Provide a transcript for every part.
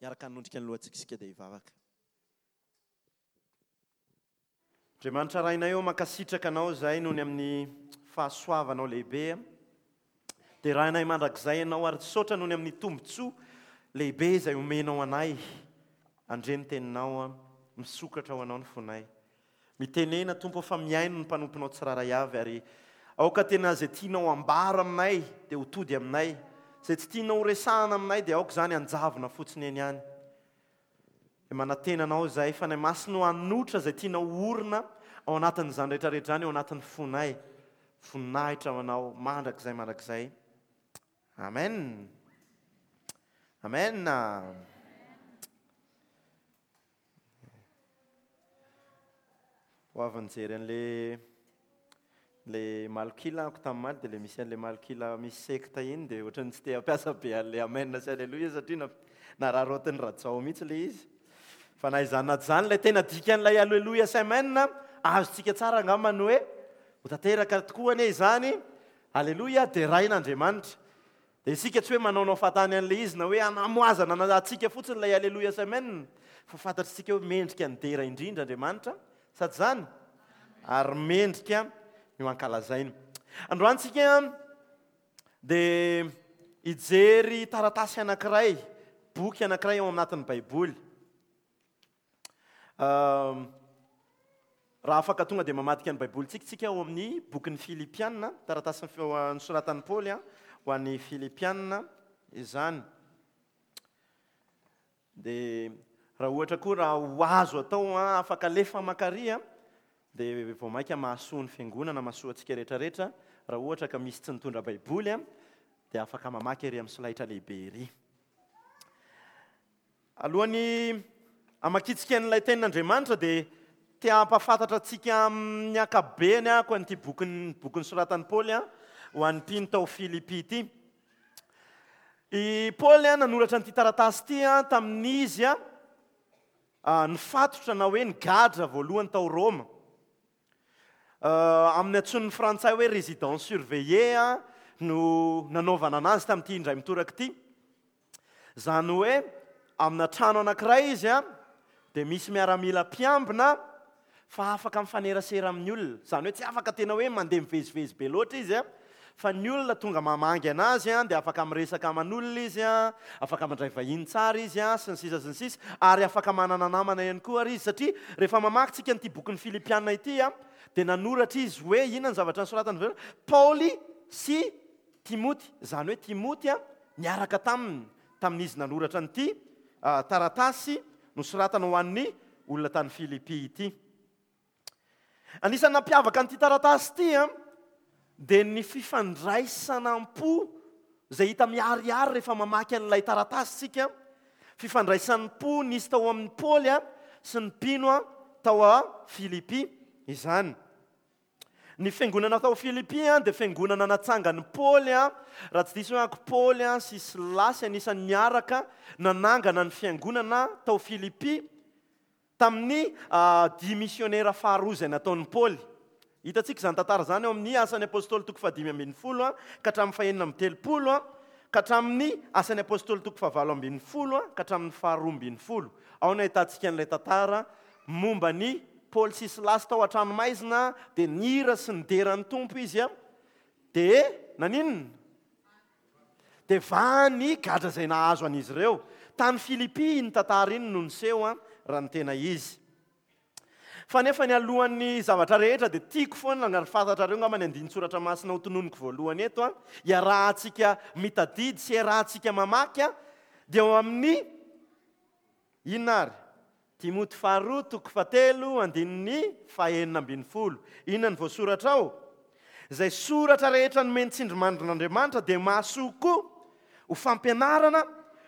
Hiaraka hanondrika ny lohantsika isika dia hivavaka. Andriamanitra Rainay ô, mankasitraka Anao izahay noho ny amin'ny fahasoavanao lehibe. Derainay mandrakizay Ianao ary misaotra noho ny amin'ny tombontsoa lehibe izay omenao anay. Handre ny Teninao, misokatra ho Anao ny fonay. Mitenena Tompo ô fa mihaino ny mpanomponao tsirairay avy ary aoka tena izay tianao ambara aminay dia ho tody aminay. Izay tsy tianao ho resahana aminay dia aoka izany hanjavona fotsiny eny ihany. Dia manantena Anao izahay, Fanahy Masina ô, hanotra izay tianao ho orina ao anatin'izany rehetra rehetra izany ao anatin'ny fonay. Voninahitra ho Anao mandrakizay mandrakizay. Amen. Amen. Ho avy nijery an'le le malok'ila ako tamin'ny maly dia le misy an'le malok'ila misy sekta iny dia ohatran'ny tsy te hampiasa be an'le amen sy aleloia satria nararaotin'i Rajao mihitsy le izy. Fa na izany na tsy izany ilay tena dikan'ilay aleloia sy amen azontsika tsara angamba ny hoe ho tanteraka tokoa anie izany, aleloia, deraina Andriamanitra. Dia isika tsy hoe manaonao fahatany an'ilay izy na hoe hanamoazana antsika fotsiny ilay Aleloia sy Amen, fa fantatr'isika hoe mendrika ny dera indrindra Andriamanitra, sa tsy izany? Ary mendrika ny ho ankalazaina. Androany isika dia hijery taratasy anankiray, boky anankiray ao anatin'ny Baiboly. Raha afaka tonga dia mamadika ny Baibolintsika isika ao amin'ny bokin'ny Filipiana, taratasy nosoratan'i Paoly ho an'ny Filipiana izany. Dia raha ohatra koa raha ho azo atao afaka alefa makary dia vao mainka mahasoa ny fiangonana, mahasoa antsika rehetrarehetra. Raha ohatra ka misy tsy nitondra Baiboly dia afaka mamaky ery amin'ny solaitra lehibe ery. Alohan'ny hamakiantsika an'ilay Tenin'Andriamanitra dia te hampahafantatra antsika amin'ny ankapobeny aho an'ity bokin'ny boky nosoratan'i Paoly ho an'ny mpino tao Filipy ity. I Paoly nanoratra an'ity taratasy ity tamin'izy nifatotra na hoe nigadra voalohany tao Roma. Amin'ny antsoin'ny frantsay hoe résidence surveillée no nanaovana anazy tamin'ity indray mitoraka ity. Izany hoe amina trano anankiray izy an, dia misy miaramila mpiambina fa afaka mifanerasera amin'ny olona. Izany hoe tsy afaka tena hoe mandeha mivezivezy be loatra izy an, fa ny olona tonga mamangy anazy an, dia afaka miresaka aman'olona izy an, afaka mandray vahiny tsara izy an, sy ny sisa sy ny sisa, ary afaka manana namana ihany koa ary izy, satria rehefa mamaky tsika an'ity bokin'ny Filipiana ity an, dia nanoratra izy hoe inona ny zavatra nosoratany voalohany? Paoly sy Timoty, izany hoe Timoty niaraka taminy tamin'izy nanoratra an'ity taratasy nosoratana ho an'ny olona tany Filipy ity. Anisan'ny nampiavaka an'ity taratasy ity dia ny fifandraisana am-po izay hita miharihary rehefa mamaky an'ilay taratasy isika, fifandraisan'ny-po nisy tao amin'i Paoly sy ny mpino tao Filipy izany. Ny fiangonana tao Filipy dia fiangonana natsangan'i Paoly, raha tsy diso aho Paoly sy Silasy anisan'ny niaraka nanangana ny fiangonana tao Filipy tamin'ny dia misionera faharoa izay nataon'i Paoly. Hitantsika izany tantara izany ao amin'ny Asan'ny Apostoly toko fahadimy ambin'ny folo ka hatramin'ny fahenina amby telopolo ka hatramin'ny Asan'ny Apostoly toko fahavalo ambin'ny folo ka hatramin'ny faharoa ambin'ny folo. Ao no ahitantsika an'ilay tantara Momba an'i Paoly sy Silasy tao an-tranomaizina dia nihira sy nidera ny Tompo izy dia naninona? Dia vaha ny gadra izay nahazo an'izy ireo. Tany Filipy iny tantara iny no niseho raha ny tena izy. Fa nefa ny alohan'ny zavatra rehetra dia tiako foana ary fantatrareo angamba ny andinin-tsoratra masina hotononiko voalohany eto, iarahantsika mitadidy sy iarahantsika mamaky dia ao amin'ny Inona ary? Timoty faharoa toko fahatelo andininy fahenina ambin'ny folo. Inona no voasoratra ao? Izay soratra rehetra nomen'ny tsindrimandrin'Andriamanitra dia mahasoa koa ho fampianarana,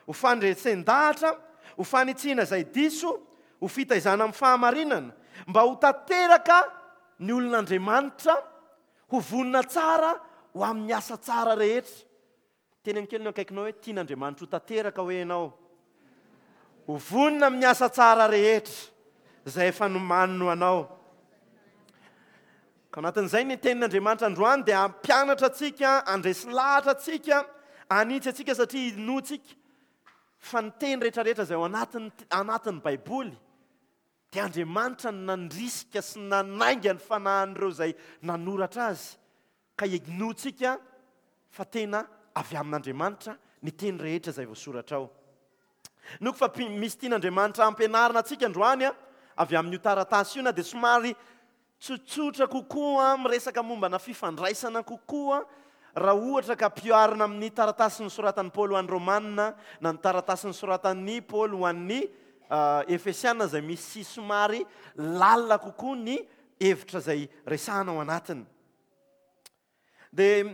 ho fandresen-dahatra, ho fanitsiana izay diso, ho fitaizana amin'ny fahamarinana, mba ho tanteraka ny olon'Andriamanitra, ho vonona tsara ho amin'ny asa tsara rehetra. Teneno kely ny akaikinao hoe tian'Andriamanitra ho tanteraka hoe ianao. Ho vonona amin'ny asa tsara rehetra izay efa nomaniny ho anao. Ka anatin'izay ny tenin'Andriamanitra androany dia hampianatra antsika, handresy lahatra antsika, hanitsy antsika satria inoantsika. Fa ny teny rehetrarehetra izay ao anatin'ny anatin'ny Baiboly dia Andriamanitra no nandrisika sy nanainga ny fanahin'ireo izay nanoratra azy, ka inoantsika fa tena avy amin'Andriamanitra ny teny rehetra izay voasoratra ao. Inoako fa misy tian'Andriamanitra hampianarina antsika androany avy amin'io taratasy io na dia somary Tsotsotra kokoa, miresaka mombana fifandraisana kokoa, raha ohatra ka ampiharina amin'ny taratasy nosoratan'i Paoly ho an'ny Romana na ny taratasy nosoratan'i Paoly ho an'ny Efesiana izay misy somary lalina kokoa ny hevitra izay resahana ao anatiny. Dia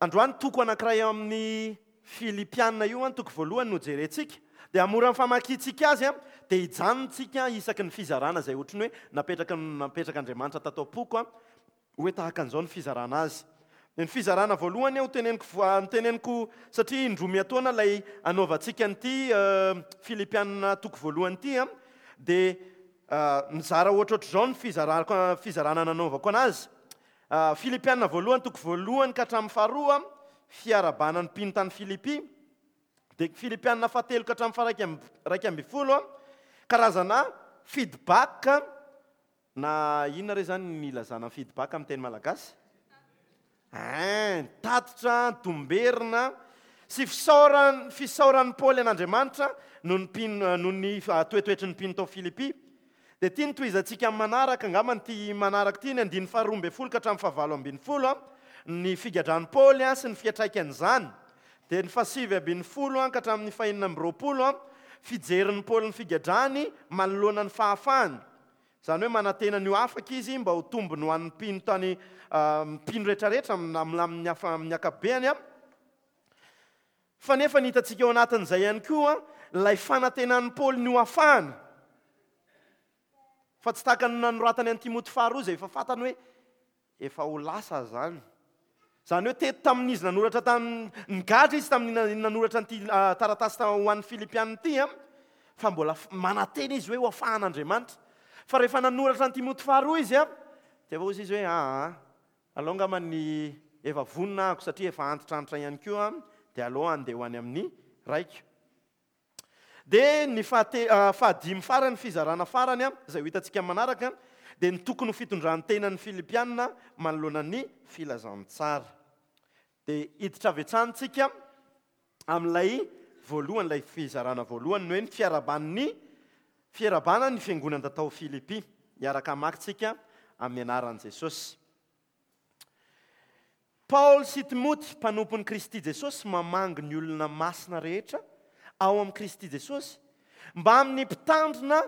androany toko anankiray ao amin'ny Filipiana io, toko voalohany no jerentsika. Dia hamoran'ny famakiantsika azy, dia hijanona tsika isaky ny fizarana izay ohatran'ny hoe napetraka napetrak'Andriamanitra tato am-poko hoe tahaka an'izao ny fizarana azy. Dia ny fizarana voalohany ho teneniko noteneniko satria indroa miatoana ilay anaovantsika an'ity Filipiana toko voalohany ity, dia nizara ohatrohatr'izao ny fizarako fizarana nanaovako anazy. Filipiana voalohany toko voalohany ka hatramin'ny faharoa, fiarahabana ny mpino tany Filipy. Dia Filipiana fahatelo ka hatramin'ny faha-11, karazana feedback na inona re izany ny ilazana feedback amin'ny teny malagasy? Ein, tatitra, domberina sy fisaoran, fisaoran'i Paoly an'Andriamanitra noho ny mpino, noho ny toetoetry ny mpino tao Filipy. Dia ity no tohizantsika amin'ny manaraka, angamba ity manaraka ity, ny andininy faharoa ambin'ny folo ka hatramin'ny fahavalo ambin'ny folo, ny figadran'i Paoly sy ny fiantraikan'izany. Dia ny fahasivy ambin'ny folo ka hatramin'ny fahenina amby roapolo, fijerin'i Paoly ny figadrany manoloana ny fahafahany. Izany hoe manantena ny ho afaka izy mba ho tombony ho an'ny mpino tany, mpino rehetrarehetra amin'ny amin'ny ankapobeny. Fa nefa ny hitantsika ao anatin'izay ihany koa ilay fanantenan'i Paoly ny ho afahana, fa tsy tahaka ny nanoratany an'i Timoty faharoa izay efa fantany hoe efa ho lasa izany. Izany hoe teto tamin'izy nanoratra tamin'ny, nigadra izy tamin'ny nanoratra an'ity taratasy ho an'ny Filipiana ity, fa mbola manantena izy hoe ho afahan'Andriamanitra. Fa rehefa nanoratra an'i Timoty faharoa izy, dia efa hoy izy hoe aa, Aleo angamba ny efa vonona ahako satria efa antitrantitra ihany koa dia aleo handeha ho any amin'ny raiko. Dia ny fahadimy farany, fizarana farany izay ho hitantsika amin'ny manaraka dia ny tokony ho fitondran-tenan'ny Filipiana manoloana ny filazantsara. Dia hiditra avy hatrany tsika amin'ilay voalohany, ilay fizarana voalohany, ny hoe ny fiaraban'ny fiarabana ny fiangonana tao Filipy. Hiaraka hamaky tsika amin'ny anaran'i Jesosy. Paoly sy Timoty, mpanompon'i Kristy Jesosy, mamangy ny olona masina rehetra ao amin'i Kristy Jesosy, mbamin'ny mpitandrina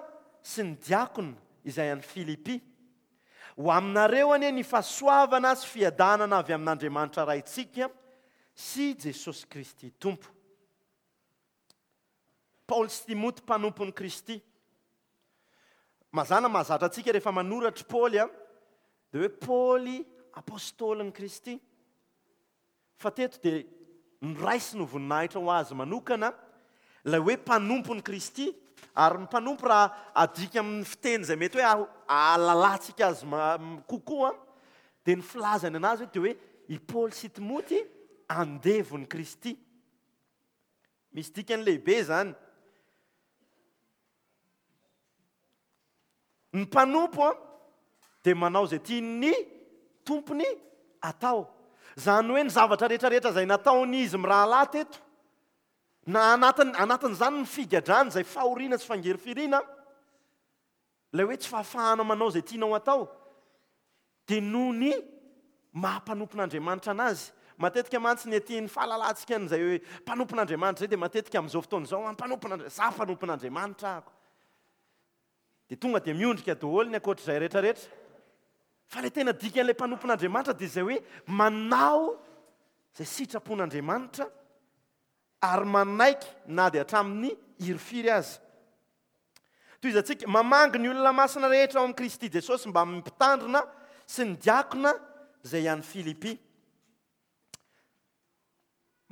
sy ny diakona izay any Filipy. Ho aminareo anie ny fahasoavana sy fiadanana avy amin'Andriamanitra Raintsika sy Jesosy Kristy Tompo. Paoly sy Timoty mpanompon'i Kristy. Mazàna mahazatra antsika rehefa manoratra i Paoly dia hoe Paoly apôstôlin'i Kristy. Fa teto dia noraisiny ho voninahitra ho azy manokana ilay hoe mpanompon'i Kristy, ary ny mpanompo raha adika amin'ny fiteny izay mety hoe ahalalantsika azy kokoa dia ny filazany anazy hoe dia hoe i Paoly sy Timoty andevon'i Kristy. Misy dikany lehibe izany. Ny mpanompo dia manao izay tian'ny tompony atao. Izany hoe ny zavatra rehetra rehetra izay nataon'izy mirahalahy teto, na anatin, anatin'izany ny figadrany izay fahoriana sy fangirifiriana, Ilay hoe tsy fahafahana manao izay tianao atao dia noho ny maha mpanompon'Andriamanitra anazy. Matetika mantsy ny aty ny fahalalantsika an'izay hoe mpanompon'Andriamanitra izay dia matetika amin'izao fotoana izao an mpanompon'Andriamanitra, za mpanompon'Andriamanitra ako. Dia tonga dia miondrika daholo ny ankoatr'izay rehetra rehetra. Fa ilay tena dikan'ilay mpanompon'Andriamanitra dia izay hoe manao izay sitrapon'Andriamanitra ary manaiky na dia hatramin'ny hirifiry aza. Tohizantsika, mamangy ny olona masina rehetra ao amin'i Kristy Jesosy mbamin'ny mpitandrina sy ny diakona izay any Filipy.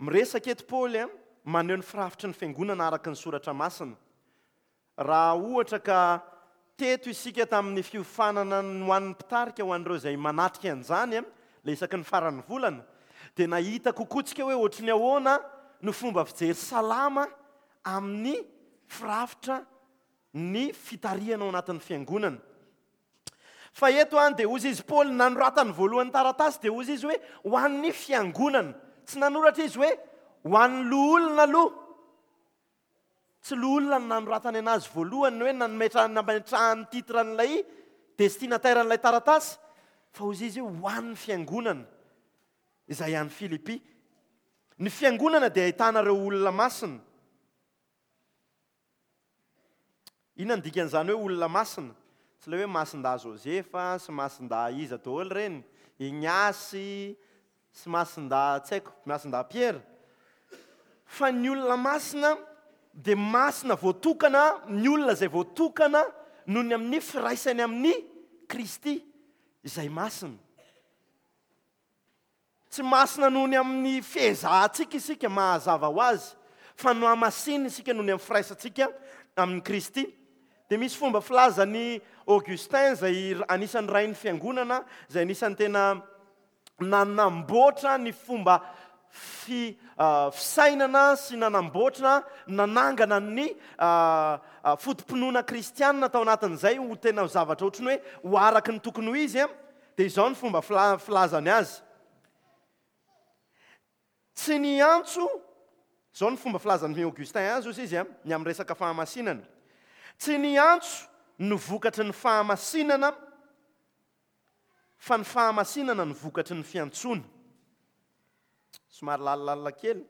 Miresaka eto Paoly maneho ny firafitry ny fiangonana araka ny soratra masina. Raha ohatra ka teto isika tamin'ny fiofanana ho an'ny mpitarika ho an'ireo izay manatrika an'izany, ilay isaky ny faran'ny volana, dia nahita kokoa tsika hoe ohatry ny ahoana no fomba fijery salama. amin'ny firafitra ny fitarihana ao anatin'ny fiangonana. Fa eto an dia hozy izy Paoly nanoratany voalohany taratasy dia hozy izy hoe ho an'ny fiangonana. Tsy nanoratra izy hoe ho an'ny loholona aloha. Tsy loholona no nanoratany anazy voalohany hoe nanometra nametrahany titre an'ilay destinataire an'ilay taratasy fa hozy izy hoe ho an'ny fiangonana izay any Filipy. Ny fiangonana dia ahitana ireo olona masina. Inona no dikan'izany hoe olona masina? Tsy ilay hoe masindahy Josefa sy masindahy iza daholo ireny, Ignace sy masindahy tsy haiko, masindahy Pierre. Fa ny olona masina dia masina voatokana, ny olona izay voatokana noho ny amin'ny firaisany amin'i Kristy izay masina. Tsy masina noho ny amin'ny fiezahantsika isika, mahazava ho azy, fa nohamasinina isika noho ny amin'ny firaisantsika amin'i Kristy. Dia misy fomba filazan'i Augustin, izay anisan'ny rain'ny fiangonana, izay anisan'ny tena nanamboatra ny fomba fi, fisainana sy nanamboatra, nanangana ny foto-pinoana kristianina tao anatin'izay ho tena zavatra ohatran'ny hoe ho araka ny tokony ho izy. Dia izao ny fomba filazany azy, Tsy ny antso, izao ny fomba filazan'i Augustin azy, hozy izy, ny amin'ny resaka fahamasinana, Tsy ny antso no vokatry ny fahamasinana, fa ny fahamasinana no vokatry ny fiantsoana. Somary lalilalina kely.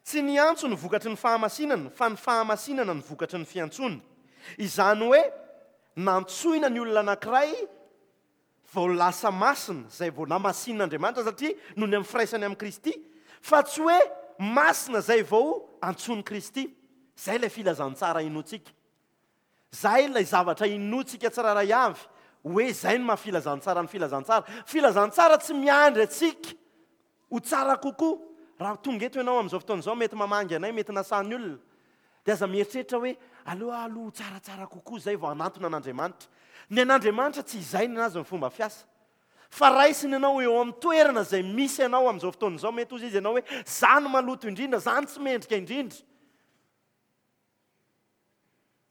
Tsy ny antso no vokatry ny fahamasinana, fa ny fahamasinana no vokatry ny fiantsoana. Izany hoe, nantsoina ny olona anankiray vao lasa masina, izay vao namasinin'Andriamanitra satria noho ny amin'ny firaisany amin'i Kristy, fa tsy hoe masina izay vao antsoin'i Kristy. Izay ilay filazantsara inoantsika. Izay ilay zavatra inoantsika tsirairay avy, hoe izay no maha filazantsara ny filazantsara. Filazantsara tsy miandry antsika ho tsara kokoa. Raha tonga eto ianao amin'izao fotoana izao, mety mamangy anay, mety nasan'ny olona, dia aza mieritreritra hoe aleo aho aloha ho tsaratsara kokoa izay vao hanantona an'Andriamanitra. Ny an'Andriamanitra tsy izay ny azy ny fomba fiasa. Fa raisiny ianao eo amin'ny toerana izay misy anao amin'izao fotoana izao. Mety hozy izy ianao hoe, za no maloto indrindra, za no tsy mendrika indrindra.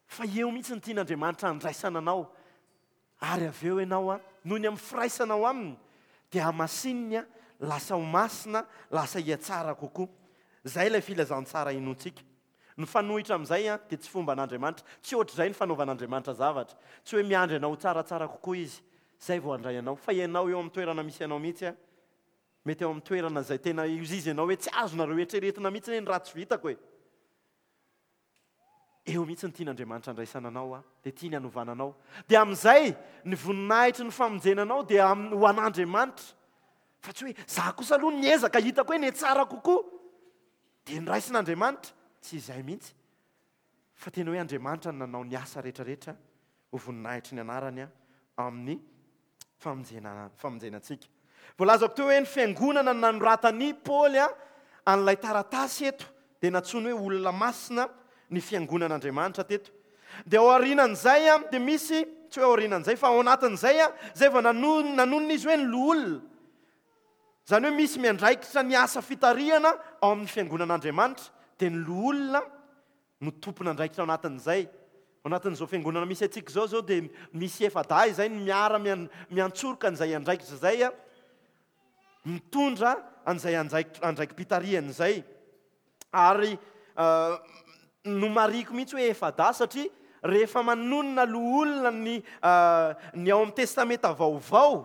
Fa eo mihitsy no tian'Andriamanitra handraisana anao, ary avy eo ianao, noho ny amin'ny firaisanao Aminy, dia hamasininy, lasa ho masina, lasa hihatsara kokoa. Izay ilay filazantsara inoantsika. Ny mifanohitra amin'izay dia tsy fomban'Andriamanitra. Tsy ohatr'izay ny fanaovan'Andriamanitra zavatra. Tsy hoe miandry anao ho tsaratsara kokoa Izy, izay vao handray anao. Fa ianao eo amin'ny toerana misy anao mihitsy, mety eo amin'ny toerana izay tena izy ianao hoe tsy azonareo eritreretina mihitsy anie ny ratsy vitako e. Eo mihitsy no tian'Andriamanitra andraisana anao, dia tiany hanovana anao. Dia amin'izay, ny voninahitry ny famonjena anao dia ho an'Andriamanitra. Fa tsy hoe, za kosa aloha niezaka, hitako hoe nihatsara kokoa, dia noraisin'Andriamanitra. Tsy izay mihitsy. Fa tena hoe Andriamanitra no nanao ny asa rehetrarehetra ho voninahitry ny anarany amin'ny famonjena famonjena antsika. Voalazako teo hoe ny fiangonana no nanoratan'i Paoly an'ilay taratasy eto dia nantsoiny hoe olona masina ny fiangonan'Andriamanitra teto. Dia ao aorianan'izay dia misy, tsy hoe aorianan'izay fa ao anatin'izay, izay vao nanonona izy hoe ny loholona. Izany hoe misy miandraikitra ny asa fitarihana ao amin'ny fiangonan'Andriamanitra dia ny loholona no tompon'andraikitra ao anatin'izay. Ao anatin'izao fiangonana misy antsika izao izao dia misy efa-dahy izay no miara miantsoroka an'izay andraikitra izay, mitondra an'izay andraiki-pitarihana izay. Ary nomarihiko mihitsy hoe efa-dahy satria rehefa manonona loholona ny ny ao amin'ny Testamenta Vaovao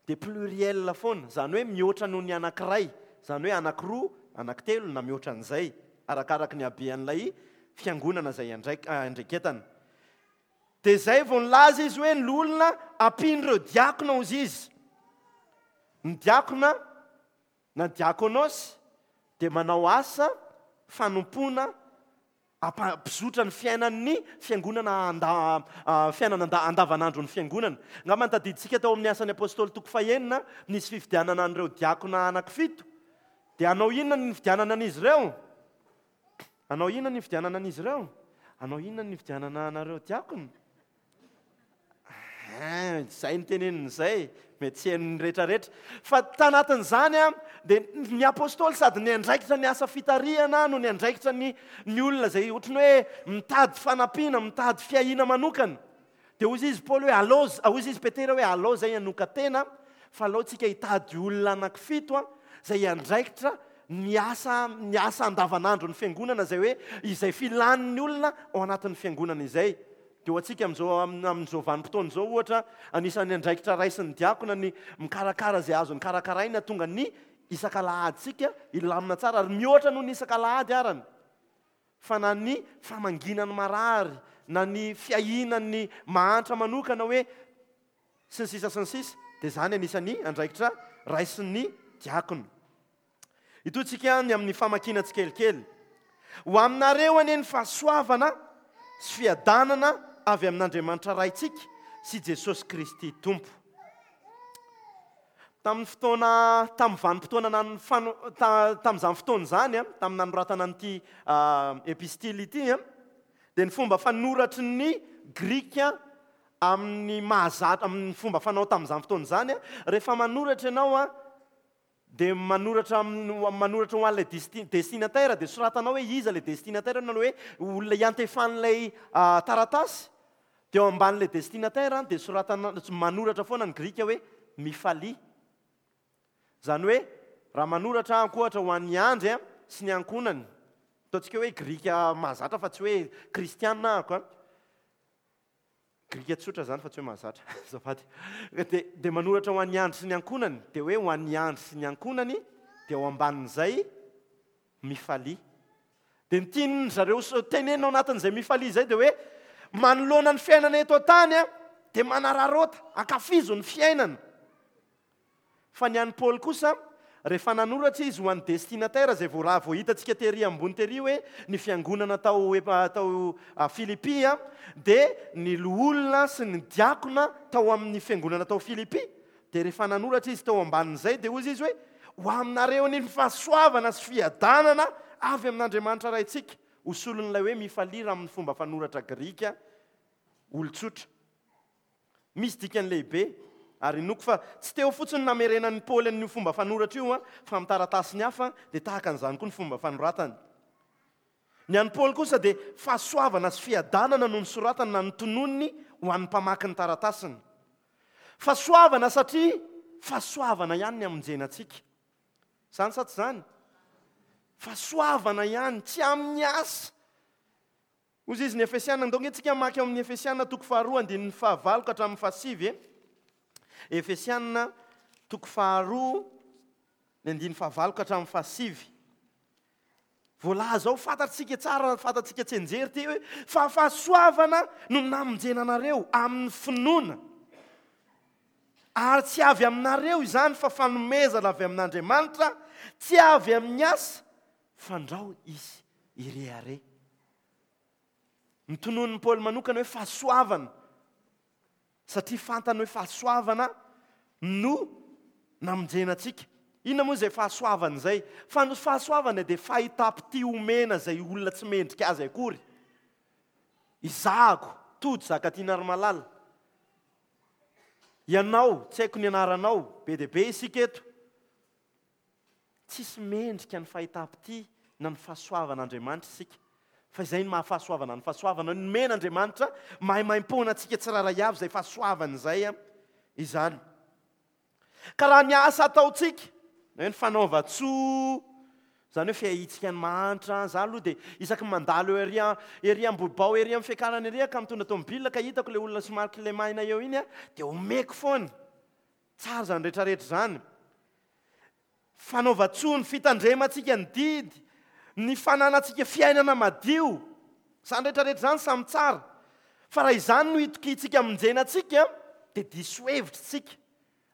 dia pluriel foana, izany hoe mihoatra noho ny anankiray, izany hoe anankiroa, anankitelo na mihoatra an'izay, arakaraky ny habean'ilay fiangonana izay andraiketana. Dia izay vao nilaza izy hoe ny loholona ampian'ireo diakona hozy izy. Ny diakona na diakonos dia manao asa fanompoana Hampizotra ny fiainan'ny fiangonana fiainana andavanandron'ny fiangonana. Angamba ny tadidintsika tao amin'ny Asan'ny Apostoly toko fahenina, nisy fifidianana an'ireo diakona anankifito. Dia hanao inona ny nifidianana an'izy ireo? Hanao inona ny nifidianana an'izy ireo? Hanao inona ny nifidianana anareo diakona? Hein, izay no teneniny izay, mety tsy henon'ny rehetrarehetra. Fa tanatin'izany dia ny apostoly sady niandraikitra ny asa fitarihana no niandraikitra ny ny olona izay ohatran'ny hoe mitady fanampiana, mitady fiahiana manokana. Dia hoy izy Paoly hoe alao, hoy izy Petera hoe alao izay hanokan-tena fa alao tsika hitady olona anankifito izay hiandraikitra ny asa ny asa andavanandron'ny fiangonana izay hoe izay filan'ny olona ao anatin'ny fiangonana izay. Dia ho antsika amin'izao amin'izao vanim-potoana izao ohatra, anisan'ny andraikitra raisin'ny diakona ny mikarakara izay azony karakaraina tonga ny isak'alahadintsika hilamina tsara ary mihoatra noho ny isak'alahady arany fa na ny famangiana ny marary na ny fiahiana ny mahantra manokana hoe sy ny sisa sy ny sisa dia izany anisan'ny andraikitra raisin'ny diakona. Itotsika ny amin'ny famakiana tsikelikely. Ho aminareo anie ny fahasoavana sy fiadanana avy amin'Andriamanitra Raintsika sy Jesosy Kristy Tompo. Tamin'ny fotoana, tamin'ny vanim-potoana nan, fano, ta, tamin'izany fotoana izany, tamin'ny nanoratana an'ity epistily ity, dia ny fomba fanoratry ny Grika amin'ny mahazatra, amin'ny fomba fanao tamin'izany fotoana izany, rehefa manoratra ianao, Dia manoratra amin'ny manoratra ho an'ilay destinataire dia soratanao hoe iza ilay destinataire na hoe olona iantefan'ilay taratasy. Dia eo ambanin'ilay destinataire dia soratana manoratra foana ny grika hoe mifalia. Izany hoe raha manoratra aho ohatra ho an'i Andry sy ny ankohonany, ataontsika hoe grika mahazatra fa tsy hoe kristiana ahako an. Grika tsotra izany fa tsy hoe mahazatra. Azafady. Dia, dia manoratra ho an'i Andry sy ny ankohonany, dia hoe ho an'i Andry sy ny ankohonany, dia ao ambanin'izay, mifalia. Dia ny tian'ny zareo tenenina ao anatin'izay mifalia izay dia hoe, manoloana ny fiainana eto an-tany, dia manararaota, ankafizo ny fiainana. Fa ny an'i Paoly kosa, rehefa nanoratra izy ho an'ny destinataire izay vao raha vao hitantsika tery ambony tery hoe ny fiangonana tao tao Filipy dia ny loholona sy ny diakona tao amin'ny fiangonana tao Filipy, dia rehefa nanoratra izy tao ambanin'izay dia hoy izy hoe ho aminareo ny fahasoavana sy fiadanana avy amin'Andriamanitra Raintsika, ho solon'ilay hoe mifalia raha amin'ny fomba fanoratra grika olon-tsotra. Misy dikany lehibe, ary inoako fa tsy teo fotsiny ny namerenan'i Paoly an'io fomba fanoratra io, fa amin'ny taratasiny hafa dia tahaka an'izany koa ny fomba fanoratany. Ny an'i Paoly kosa dia fahasoavana sy fiadanana no nosoratany na notononiny ho an'ny mpamaky ny taratasiny. Fahasoavana satria fahasoavana ihany ny hamonjena antsika. Izany sa tsy izany? Fahasoavana ihany, tsy amin'ny asa. Hozy izy ny Efesiana, ndao nge tsika hamaky ao amin'ny Efesiana toko faharoa andininy fahavalo ka hatramin'ny fahasivy e. Efesiana toko faharoa ny andininy fahavalo ka hatramin'ny fahasivy. Voalaza ao, fantatsika tsara, fantatsika tsianjery ity hoe fa fahasoavana no namonjena anareo amin'ny finoana. Ary tsy avy aminareo izany fa fanomezana avy amin'Andriamanitra, tsy avy amin'ny asa, fandrao izy hirehareha. Notononin'i Paoly manokana hoe fahasoavana, satria fantany hoe fahasoavana no namonjena antsika. Inona moa izay fahasoavana izay? Fa ny fahasoavana dia fahitam-pitia omena izay olona tsy mendrika azy akory. Izahako, Tojo Zakatianarimalala, ianao, tsy haiko ny anaranao, be dia be isika eto. Tsisy mendrika ny fahitam-pitia na ny fahasoavan'Andriamanitra isika, fa izay no maha-fahasoavana ny fahasoavana, nomen'Andriamanitra maimaimpoana antsika tsirairay avy izay fahasoavana izay izany. Ka raha ny asa ataontsika, na hoe ny fanaovan-tsoa, izany hoe fiahiantsika ny mahantra, za aloha dia isaky ny mandalo eo ery ery Ambohibao ery amin'ny fiakarana ery aho ka mitondra tomobile ka hitako ilay olona somary kilemaina eo iny dia omeko foana. Tsara izany rehetrarehetra izany. Fanaovan-tsoa, ny fitandremantsika ny didy, ny fananantsika fiainana madio. Izany rehetrarehetra izany samy tsara. Fa raha izany no itokiantsika hamonjena antsika, dia diso hevitra isika,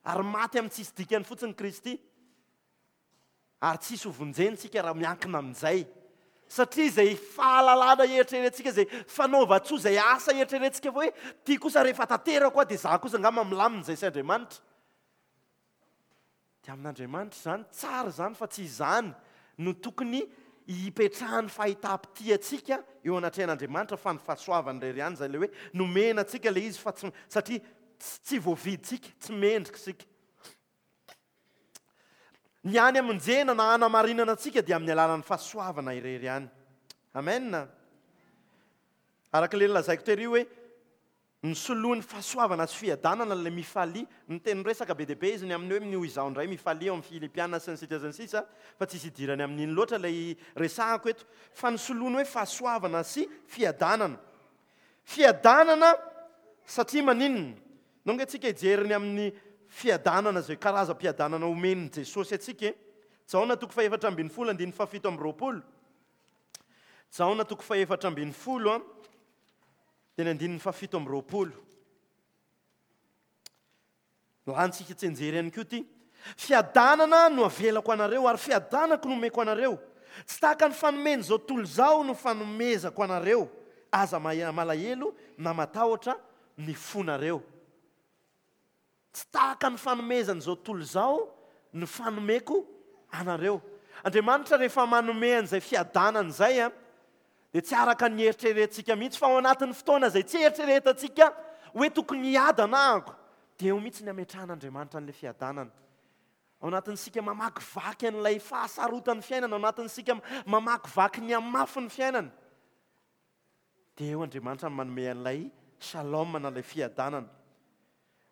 ary maty amin'ny tsisy dikany fotsiny Kristy. Ary tsy hisy hovonjena isika raha miankina amin'izay. Satria izay fahalalana eritreretintsika, izay fanaovan-tsoa, izay asa eritreretintsika fa hoe ity kosa rehefa tanterako aho dia izaho kosa angamba milamina izay sy Andriamanitra. Dia amin'Andriamanitra izany, tsara izany fa tsy izany no tokony hipetrahan'ny fahitam-pitia antsika eo anatrehan'Andriamanitra fa ny fahasoavany irery ihany izay ilay hoe nomena antsika ilay izy fa tsy satria tsy voavidintsika, tsy mendrika isika. Ny hany hamonjena na hanamarinana antsika dia amin'ny alalan'ny fahasoavana irery ihany. Amen. Araka ilay nolazaiko tery hoe Nosoloiny fahasoavana sy fiadanana ilay mifalia. Niteny resaka be dia be izy ny amin'ny hoe noho izaho indray mifalia ao amin'ny Filipiana sy ny sisa sy ny sisa fa tsisy idirany amin'iny loatra ilay resahako eto. Fa nosoloiny hoe fahasoavana sy fiadanana. Fiadanana satria maninona? Ndao ange tsika hijery ny amin'ny fiadanana izay karazam-piadanana omen'i Jesosy antsika e. Jaona toko faha-14 andininy faha-27. Jaona toko faha-14 Dia ny andininy fahafito amby 20. Lantsika tsianjery ihany koa ity. Fiadanana no avelako anareo ary fiadanako no omeko anareo. Tsy tahaka ny fanomen'izao tontolo izao no fanomezako anareo. Aza malahelo na matahotra ny fonareo. Tsy tahaka ny fanomezan'izao tontolo izao no fanomeko anareo. Andriamanitra rehefa manome an'izay fiadanana izay dia tsy araka ny eritreretintsika mihitsy fa ao anatin'ny fotoana izay tsy eritreretantsika hoe tokony hiadana ahako dia eo mihitsy ny ametrahan'Andriamanitra an'ilay fiadanana. Ao anatin'isika mamakivaky an'ilay fahasarotan'ny fiainana, ao anatin'isika mamakivaky ny hamafin'ny fiainana. Dia eo Andriamanitra no manome an'ilay shalom na ilay fiadanana.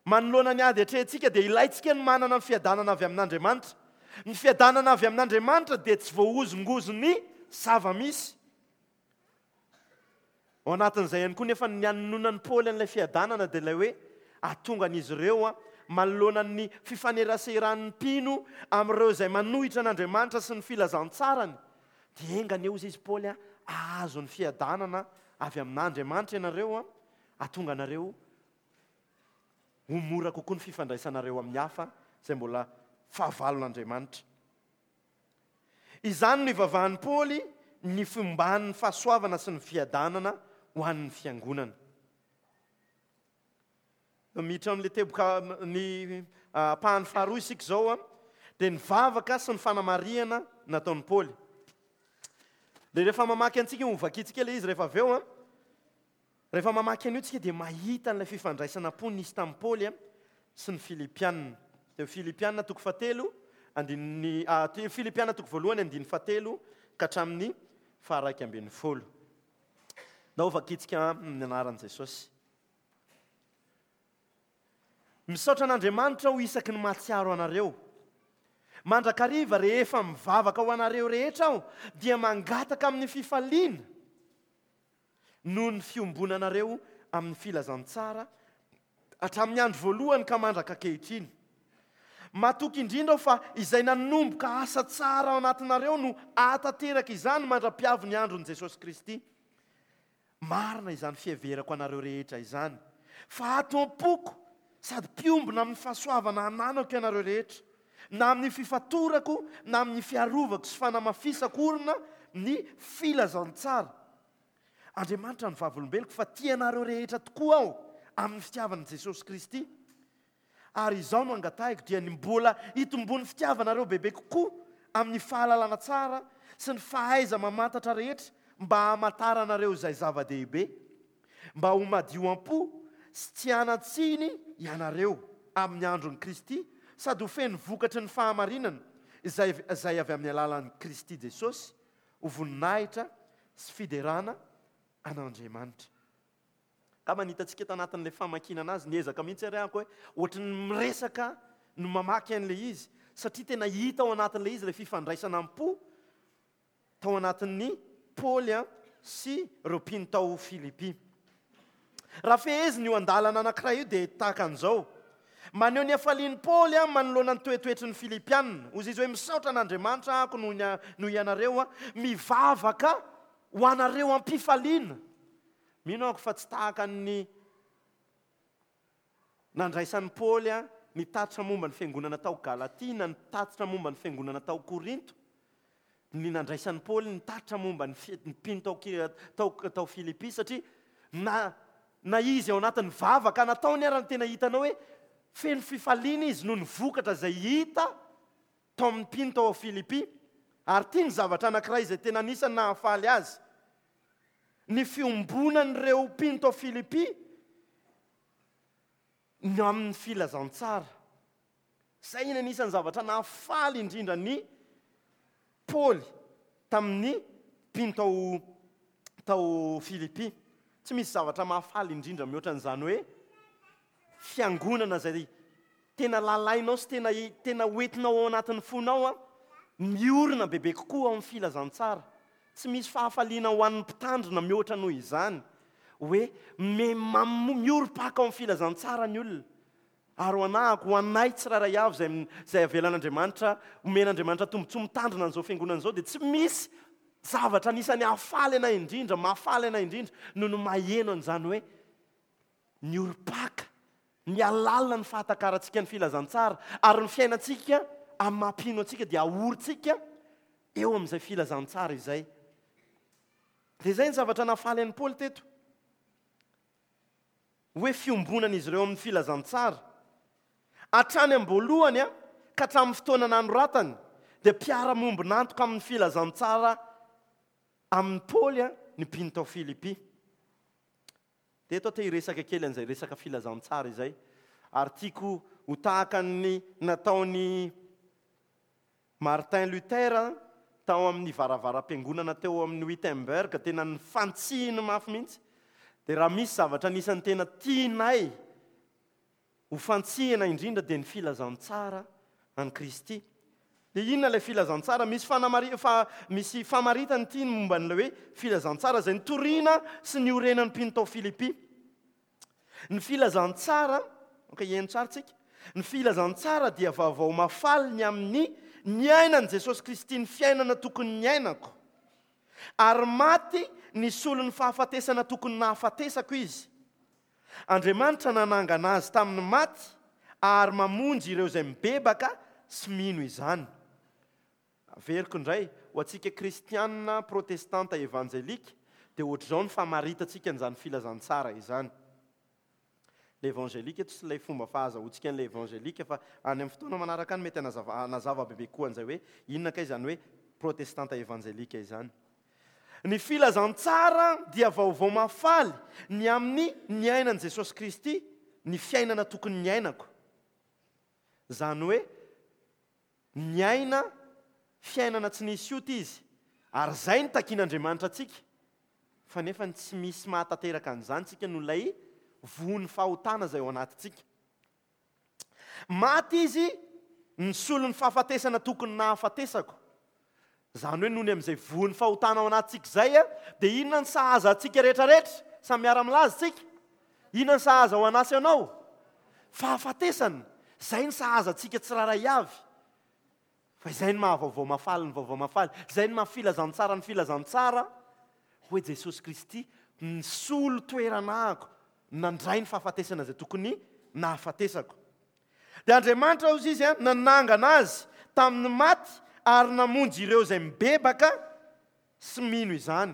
Manoloana ny ady atrehintsika dia ilaintsika ny manana ny fiadanana avy amin'Andriamanitra. Ny fiadanana avy amin'Andriamanitra dia tsy voahozongozon'ny zava-misy. Ao anatin'izay ihany koa nefa ny anononan'i Paoly an'ilay fiadanana dia ilay hoe ahatonga an'izy ireo manoloana ny fifaneraseran'ny mpino amin'ireo izay manohitra an'Andriamanitra sy ny filazantsarany Dia enga anie hozy izy Paoly a, hahazo ny fiadanana avy amin'Andriamanitra ianareo a, hahatonga anareo ho mora kokoa ny fifandraisanareo amin'ny hafa izay mbola fahavalon'Andriamanitra. Izany no ivavahan'i Paoly ny fomban'ny fahasoavana sy ny fiadanana ho an'ny fiangonana. Miditra amin'ilay teboka ny ampahany faharoa isika izao, dia ny vavaka sy ny fanamarihana nataon'i Paoly. Dia rehefa mamaky antsika, ho vakintsika ilay izy rehefa avy eo, rehefa mamaky an'io tsika dia mahita an'ilay fifandraisana am-po nisy tamin'i Paoly sy ny Filipiana. Dia Filipiana toko fahatelo, andininy, Filipiana toko voalohany andininy fahatelo ka hatramin'ny faharaika ambin'ny folo. Ndao vakintsika amin'ny anaran'i Jesosy. Misaotra an'Andriamanitra aho isaky ny mahatsiaro anareo. Mandrakariva rehefa mivavaka ho anareo rehetra aho dia mangataka amin'ny fifaliana noho ny fiombonanareo amin'ny filazantsara hatramin'ny andro voalohany ka mandraka ankehitriny. Matoky indrindra aho fa izay nanomboka asa tsara ao anatinareo no hahatanteraka izany mandra-piavy ny andron'i Jesosy Kristy. Marina izany fiheverako anareo rehetra izany, fa ato am-poko sady mpiombona amin'ny fahasoavana ananako ianareo rehetra, na amin'ny fifatorako na amin'ny fiarovako sy fanamafisako orina ny filazantsara. Andriamanitra no vavolombeloko fa tia anareo rehetra tokoa aho amin'ny fitiavan'i Jesosy Kristy. Ary izao no angatahiko, dia ny mbola hitomboan'ny fitiavanareo bebe kokoa amin'ny fahalalana tsara sy ny fahaiza-mamantatra rehetra mba hamantaranareo izay zava-dehibe, mba ho madio am-po sy tsy hanan-tsiny ianareo amin'ny andron'i Kristy sady ho feno vokatry ny fahamarinana izay izay avy amin'ny alalan'i Kristy Jesosy ho voninahitra sy fiderana an'Andriamanitra. Angamba ny hitantsika tanatin'ilay famakiana anazy, niezaka mihitsy ary aho hoe ohatry ny miresaka no mamaky an'ilay izy, satria tena hita ao anatin'ilay izy ilay fifandraisana am-po tao anatin'ny Paoly sy ireo mpino tao Filipy. Raha fehezina io andalana anankiray io dia tahaka an'izao, Maneho ny hafalian'i Paoly manoloana ny toetoetry ny Filipiana. Hoy izy hoe, Misaotra an'Andriamanitra aho noho ianareo, mivavaka ho anareo am-pifaliana. Mino aho fa tsy tahaka ny nandraisan'i Paoly ny tatitra momba ny fiangonana tao Galatia na ny tatitra momba ny fiangonana tao Korinto, ny nandraisan'i Paoly ny tatitra momba ny mpino tao tao tao Filipy, satria na na izy ao anatin'ny vavaka nataony ara no tena hitanao hoe feno fifaliana izy noho ny vokatra izay hita tao amin'ny mpino tao Filipy. Ary ity ny zavatra anankiray izay tena anisan'ny nahafaly azy. Ny fiombonan'ireo mpino tao Filipy ny amin'ny filazantsara. Izay ny anisan'ny zavatra nahafaly indrindra an'i Paoly tamin'ny mpino tao tao Filipy. Tsy misy zavatra mahafaly indrindra mihoatra an'izany hoe fiangonana izay tena lalainao sy tena tena hoentinao ao anatin'ny fonao an, miorina bebe kokoa ao amin'ny filazantsara. Tsy misy fahafaliana ho an'ny mpitandrina mihoatra noho izany hoe miorim-paka ao amin'ny filazantsara ny olona. Ary ho anahako, ho anay tsirairay avy izay izay avelan'Andriamanitra, omen'Andriamanitra tombontsoa mitandrina an'izao fiangonana izao dia tsy misy zavatra anisan'ny hahafaly anay indrindra, mahafaly anay indrindra noho ny maheno an'izany hoe miorim-paka, mihalalina ny fahatakarantsika ny filazantsara ary ny fiainantsika amin'ny maha mpino antsika dia ahorintsika eo amin'izay filazantsara izay. Dia izay ny zavatra nahafaly an'i Paoly teto. Hoe fiombonan'izy ireo amin'ny filazantsara. Hatrany am-boalohany ka hatramin'ny fotoana nanoratany, dia mpiara-miombon'antoka amin'ny filazantsara amin'i Paoly ny mpino tao Filipy. Dia eto aho te hiresaka kely an'izay resaka filazantsara izay, ary tiako ho tahaka ny nataon'i Martin Luther tao amin'ny varavaram-piangonana teo amin'ny Wittenberg, tena nifantsihiny mafy mihitsy. Dia raha misy zavatra anisan'ny tena tianay ho fantsihina indrindra dia ny filazantsara an'i Kristy. Dia inona ilay filazantsara? Misy fanamari- fa misy famaritana ity ny momba an'ilay hoe filazantsara izay nitoriana sy niorenan'ny mpino tao Filipy. Ny filazantsara, ok, heno tsara tsika. Ny filazantsara dia vaovao mahafaly ny amin'ny niainan'i Jesosy Kristy ny fiainana tokony niainako. Ary maty nisolo ny fahafatesana tokony nahafatesako izy. Andriamanitra nanangana azy tamin'ny maty ary mamonjy ireo izay mibebaka sy mino izany. Averiko indray, ho antsika kristiana protestanta evanjelika dia ohatr'izao ny famaritantsika an'izany filazantsara izany. Ilay evanjelika eto tsy ilay fomba fahazahoantsika an'ilay evanjelika fa any amin'ny fotoana manaraka any mety hanazava hanazava bebe kokoa an'izay hoe inona kay izany hoe protestanta evanjelika izany. Ny filazantsara dia vaovao mahafaly ny amin'ny niainan'i Jesosy Kristy ny fiainana tokony niainako. Izany hoe Niaina fiainana tsy nisy ota izy, ary izay no takian'Andriamanitra antsika, fa nefa ny tsy misy mahatanteraka an'izany tsika noho ilay vohon'ny fahotana izay ao anatintsika. Maty izy nisolo ny fahafatesana tokony nahafatesako. Izany hoe noho ny amin'izay vohon'ny fahotana ao anatintsika izay, dia inona ny sahaza antsika rehetrarehetra? Samy miara-milaza isika. Inona ny sahaza ho anà sy anao? Fahafatesana. Izay ny sahaza antsika tsirairay avy. Fa izay ny maha vaovao mahafaly ny vaovao mahafaly. Izay ny maha filazantsara ny filazantsara hoe Jesosy Kristy nisolo toerana ahako, nandray ny fahafatesana izay tokony nahafatesako. Dia Andriamanitra, hozy izy, nanangana azy tamin'ny maty ary namonjy ireo izay mibebaka sy mino izany.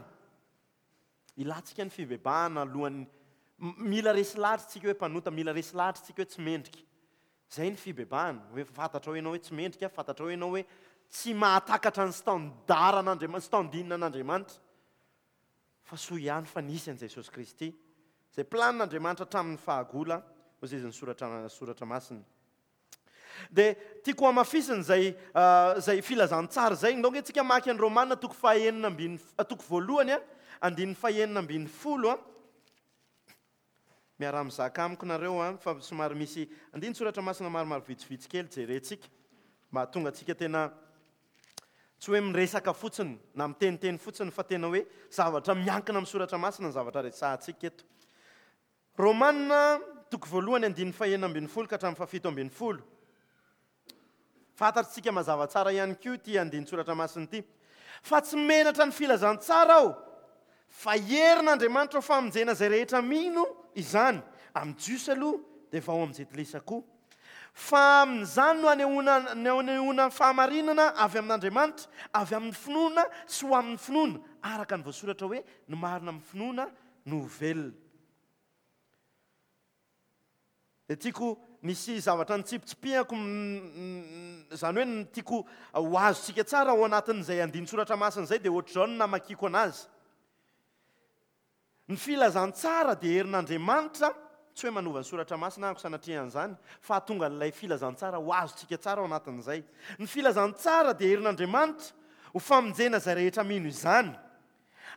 Ilantsika ny fibebahana alohan'ny mila resy lahatra isika hoe mpanota, mila resy lahatra isika hoe tsy mendrika. Izay ny fibebahana, hoe fantatrao ianao hoe tsy mendrika, fantatrao ianao hoe tsy mahatakatra ny standard an'Andriamanitra, standing an'Andriamanitra. Fa soa ihany fa nisy an'i Jesosy Kristy, izay planin'Andriamanitra hatramin'ny fahagola, hoy izy ny soratra soratra masina. Dia tiako hamafisina izay izay filazantsara izay. Ndao ange tsika maka ny Romana toko fahenina ambin'ny toko voalohany a, andininy fahenina ambin'ny folo a. Miaraha mizaka amiko nareo a, fa somary misy andinin-tsoratra masina maromaro vitsivitsy kely jerentsika mba hahatonga antsika tena tsy hoe miresaka fotsiny na miteniteny fotsiny fa tena hoe zavatra miankina amin'ny soratra masina ny zavatra resahantsika eto. Romana toko voalohany andininy fahenina ambin'ny folo ka hatramin'ny fahafito ambin'ny folo. Fantatsika mazava tsara ihany koa ity andinin-tsoratra masina ity. Fa tsy menatra ny filazantsara aho, fa herin'Andriamanitra ho famonjena izay rehetra mino izany, amin'ny Jiosy aloha, dia vao amin'ny Jentilisa koa. Fa amin'izany no anehoana anehoana ny fahamarinana avy amin'Andriamanitra, avy amin'ny finoana sy ho amin'ny finoana, araka ny voasoratra hoe, ny marina amin'ny finoana no ho velona. Dia tiako nisy zavatra nitsipitsipihako, izany hoe ny tiako ho azontsika tsara ao anatin'izay andinin-tsoratra masina izay dia ohatr'izao no namakiako anazy. Ny filazantsara dia herin'Andriamanitra. tsy hoe manova ny soratra masina aho sanatria an'izany, fa hahatonga an'ilay filazantsara ho azontsika tsara ao anatin'izay. Ny filazantsara dia herin'Andriamanitra ho famonjena izay rehetra mino izany.